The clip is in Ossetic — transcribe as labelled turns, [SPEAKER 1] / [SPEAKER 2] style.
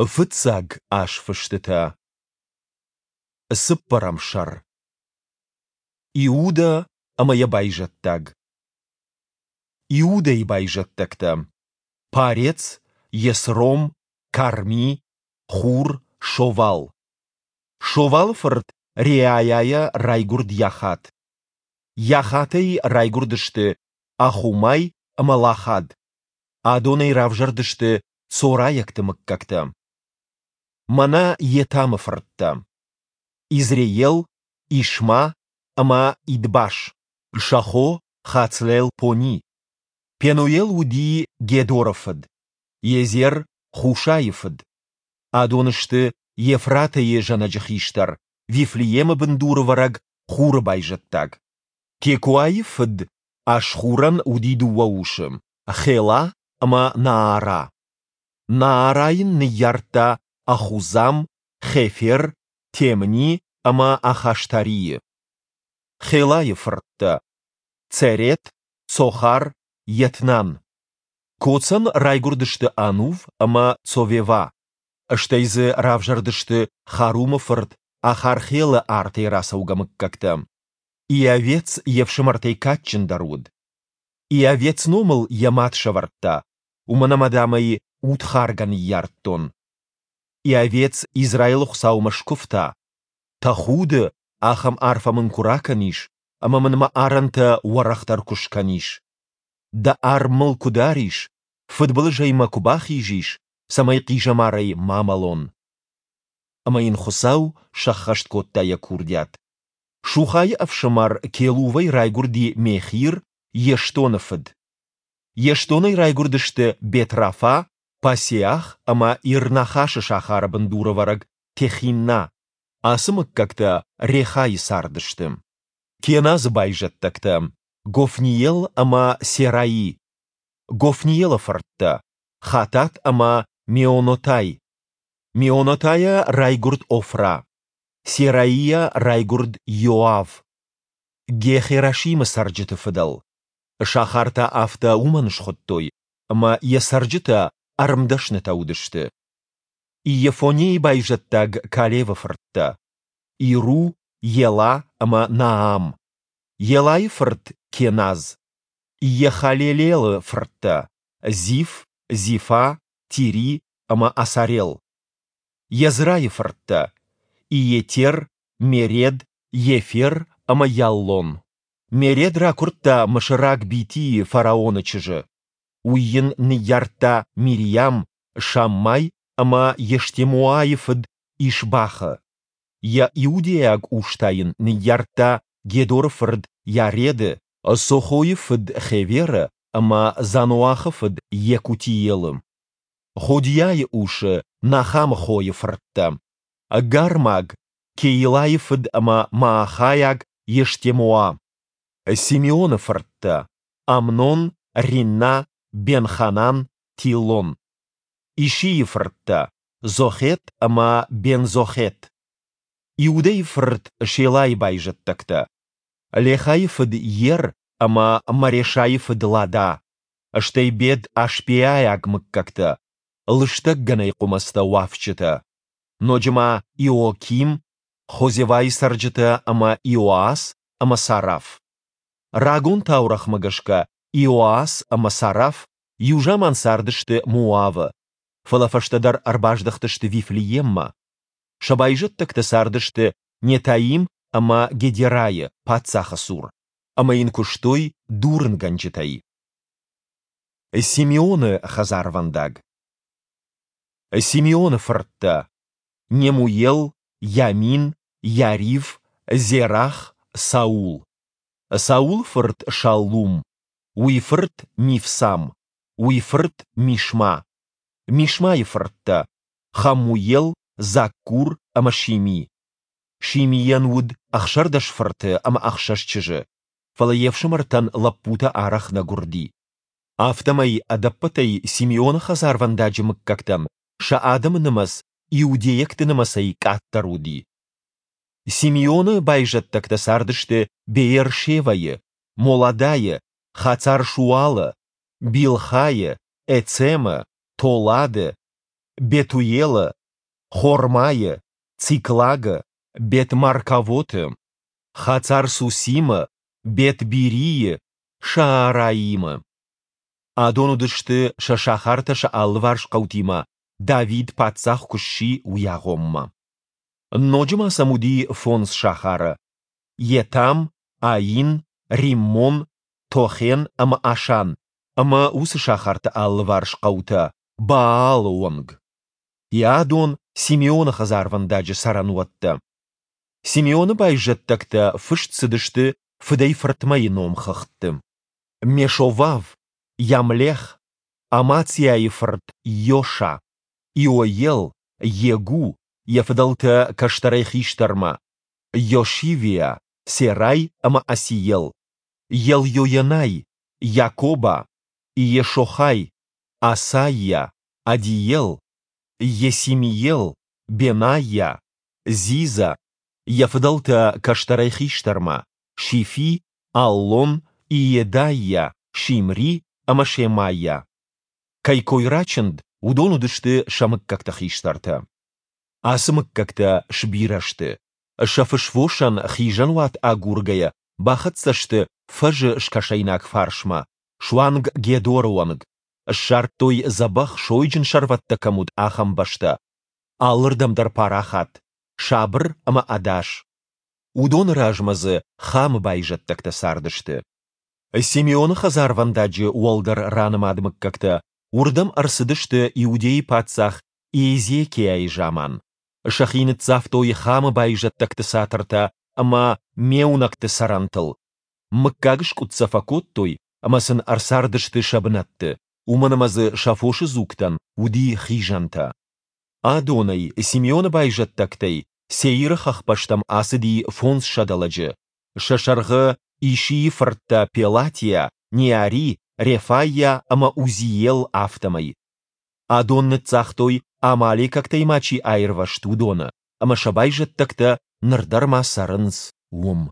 [SPEAKER 1] Фыццаг азфыстытӕ. Цыппӕрӕм сӕр. Иудӕ ӕмӕ йӕ байзӕддаг. Иудӕйы байзӕддӕгтӕ: Парец, Есром, Карми, Хур, Шовал. Шовалы фырт Реайайӕ райгуырд Йахат. Йахатӕй райгуырдысты Ахумай ӕмӕ Лахад. Адонӕй равзӕрдысты цорайӕгты мыггӕгтӕ. Мӕнӕ Етамы фырттӕ: Изреел, Ишма ӕмӕ Идбаш, сӕ хо Хацлелпони. Пенуел уыди Гедоры фыд, Езер – Хушайы фыд. Адон сты Ефратӕйы зӕнӕджы хистӕр, Вифлеемы бындурӕвӕрӕг Хуры байзӕддаг. Текоайы фыд Ашхурӕн уыди дыууӕ усы, Хела ӕмӕ Наара. Наара йын ныййардта Ахузам, Хефер, Темни ӕмӕ Ахаштарийы. Хелайы фырттӕ: Церет, Цохар, Етнан. Коцӕн райгуырдысты Анув ӕмӕ Цовевӕ. Стӕй дзы равзӕрдысты Харумы фырт Ахархелы артӕй рацӕугӕ мыггӕгтӕ. Иавец йе фсымӕртӕй кадджындӕр уыд. Иавец номыл йӕ мад сӕвӕрдта, уымӕн ӕмӕ, дам ӕй удхаргӕ ныййардтон. Иавец Израилы Хуыцаумӕ скуывта, Тӕхуды, ахӕм арфӕ мын куы ракӕнис, ӕмӕ мын мӕ арӕнтӕ уӕрӕхдӕр куы скӕнис. Дӕ арм мыл куы дарис, фыдбылызӕй мӕ куы бахизис, цӕмӕй хъизӕмарӕй ма мӕлон. Ӕмӕ йын Хуыцау сӕххӕст кодта йӕ курдиат. Сухайы ӕфсымӕр Келувӕй райгуырди Мехир, Естоны фыд. Ештонӕй райгуырдысты Бет-Рафа, Пасеах ӕмӕ Ир-Нахасы сахары бындурӕвӕрӕг Техинна. Ацы мыггӕгтӕ Рехайы цардысты. Кеназы байзӕддӕгтӕ, Гофниел ӕмӕ Сераи. Гофниелы фырттӕ, Хатат ӕмӕ Меонотай. Меонотайӕ райгуырд Офра. Сераийӕ райгуырд Иоав, Ге-Херашимы цӕрджыты фыдӕл. Сахар та афтӕ уымӕн схуыдтой, ӕмӕ йӕ цӕрджытӕ ӕрмдӕснытӕ уыдысты. Иефонейы байзӕддаг Калевы фырттӕ: Иру, Ела ӕмӕ Наам. Елайы фырт Кеназ. Иехалелелы фырттӕ: Зиф, Зифа, Тири ӕмӕ Асарел. Езрайы фырттӕ: Иетер, Меред, Ефер ӕмӕ Яллон. Меред ракуырдта мысыраг Битийы фараоны чызджы. Уый йын ныййардта Мириам, Шаммай ӕмӕ Ештемоайы фыд Ишбахы. Йӕ иудейаг ус та йын ныййардта Гедоры фырт Йареды, Сохойы фыд Хеверы ӕмӕ Заноахы фыд Йекутиелы. Ходиайы усы Нахамы хойы фырттӕ, Гармаг, Кеилайы фыд ӕмӕ маахӕйаг Ештемоа. Симеоны фырттӕ, Амнон, Ринна, Бен-Ханан, Тилон. Ишийы фырттӕ, Зохет ӕмӕ Бен-Зохет. Иудӕйы фырт Шелайы байзӕддӕгтӕ, Лехайы фыд Ер ӕмӕ Марешайы фыд Лада, стӕй Бет-Ашбеайаг мыггӕгтӕ, лыстӕг гӕнӕй хъуымӕцтӕ уафджытӕ, ноджы ма Иоаким, Хозевайы цӕрджытӕ ӕмӕ Иоас ӕмӕ Сараф. Рагон таурӕгъмӕ гӕсгӕ Иоас ӕмӕ Сараф иу заман цардысты Моавы, фӕлӕ фӕстӕдӕр ӕрбаздӕхтысты Вифлееммӕ. Сӕ байзӕддӕгтӕ цардысты Нетаим ӕмӕ Гедерайы паддзахы цур ӕмӕ йын куыстой дурынгӕнджытӕй. Симеоны хӕдзарвӕндаг. Симеоны фырттӕ: Немуел, Ямин, Иарив, Зерах, Саул. Саулы фырт Шаллум, уый фырт Мивсам, уый фырт Мишма. Мишмайы фырттӕ: Хаммуел, Заккур ӕмӕ Шими. Шимийӕн уыд 16 фырты ӕмӕ ӕхсӕз чызджы, фӕлӕ йе фсымӕртӕн лӕппутӕ арӕх нӕ гуырди. Афтӕмӕй ӕдӕппӕтӕй Симеоны хӕдзарвӕндаджы мыггӕгтӕн сӕ адӕмы нымӕц иудейӕгты нымӕцӕй къаддӕр уыди. Симеоны байзӕддӕгтӕ цардысты Беер-Шевӕйы, Моладайы, Хацар-Шуалы, Билхайы, Эцемы, Толады. Бетуелы, Хормайы, Циклагы, Бет-Маркавоты, Хацар-Сусимы, Бет-Бирийы, Шаараимы. Адон уыдысты сӕ сахартӕ сӕ алыварс хъӕутимӕ, Давид паддзах куы сси, уый агъоммӕ. Ноджы ма сӕм уыди фондз сахары: Етам, Аин, Риммон, Тохен ӕмӕ Ашан, ӕмӕ уыцы сахарты алыварс хъӕутӕ Баалы онг. Адон Симеоны хӕдзарвӕндаджы цӕрӕнуӕттӕ. Симеоны байзӕддӕгтӕ фыст цыдысты фыдӕй-фыртмӕйы номхыгъдты. Мешовав, Ямлех, Амациайы фырт Йоша, Иоел, Йегу, йӕ фыдӕлтӕ кӕстӕрӕй хистӕрмӕ, Йошивиа, Серай ӕмӕ Асиел, Елйоенай, Йакоба, Иешохай, Асайа, Адиел, Йесимиел, Бенайа, Зиза, йӕ фыдӕлтӕ кӕстӕрӕй хистӕрмӕ, Шифи, Аллон, Иедайа, Шимри ӕмӕ Шемайа. Кӕй кой рачынд, уыдон уыдысты сӕ мыггӕгты хистӕртӕ. Ацы мыггӕгтӕ сбирӕ сты. Сӕ фысвосӕн хизӕнуат агургӕйӕ бахӕццӕ сты фӕзы скӕсӕйнаг фарсмӕ, суанг Гедоры онг. Ссардтой дзӕбӕх сойджын сӕрвӕттӕ кӕм уыд, ахӕм бӕстӕ. Алырдӕм дӕр парахат, сабыр ӕмӕ ӕдас. Уыдоны размӕ дзы Хамы байзӕддӕгтӕ цардысты. Симеоны хӕдзарвӕндаджы уӕлдӕр ранымад мыггӕгтӕ уырдӕм ӕрцыдысты Иудейы паддзах Иезекиайы заман. Сӕхи ныццавтой Хамы байзӕддӕгты цатыртӕ ӕмӕ меунӕгты цӕрӕнтыл. Мыггагыскъуыд сӕ фӕкодтой ӕмӕ сын ӕрцардысты сӕ бынӕтты, уымӕн ӕмӕ дзы сӕ фосы дзугтӕн уыди хизӕнтӕ. Адонӕй, Симеоны байзӕддӕгтӕй, Сеиры хӕхбӕстӕм ацыди 500 лӕджы, сӕ сӕргъы Ишийы фырттӕ Пелатиа, Неари, Рефайа ӕмӕ Узиел, афтӕмӕй. Адон ныццагътой, амалекӕгтӕй ма чи аирвӕзт, уыдоны, ӕмӕ сӕ байзӕддӕгтӕ ныр дӕр ма цӕрынц уым.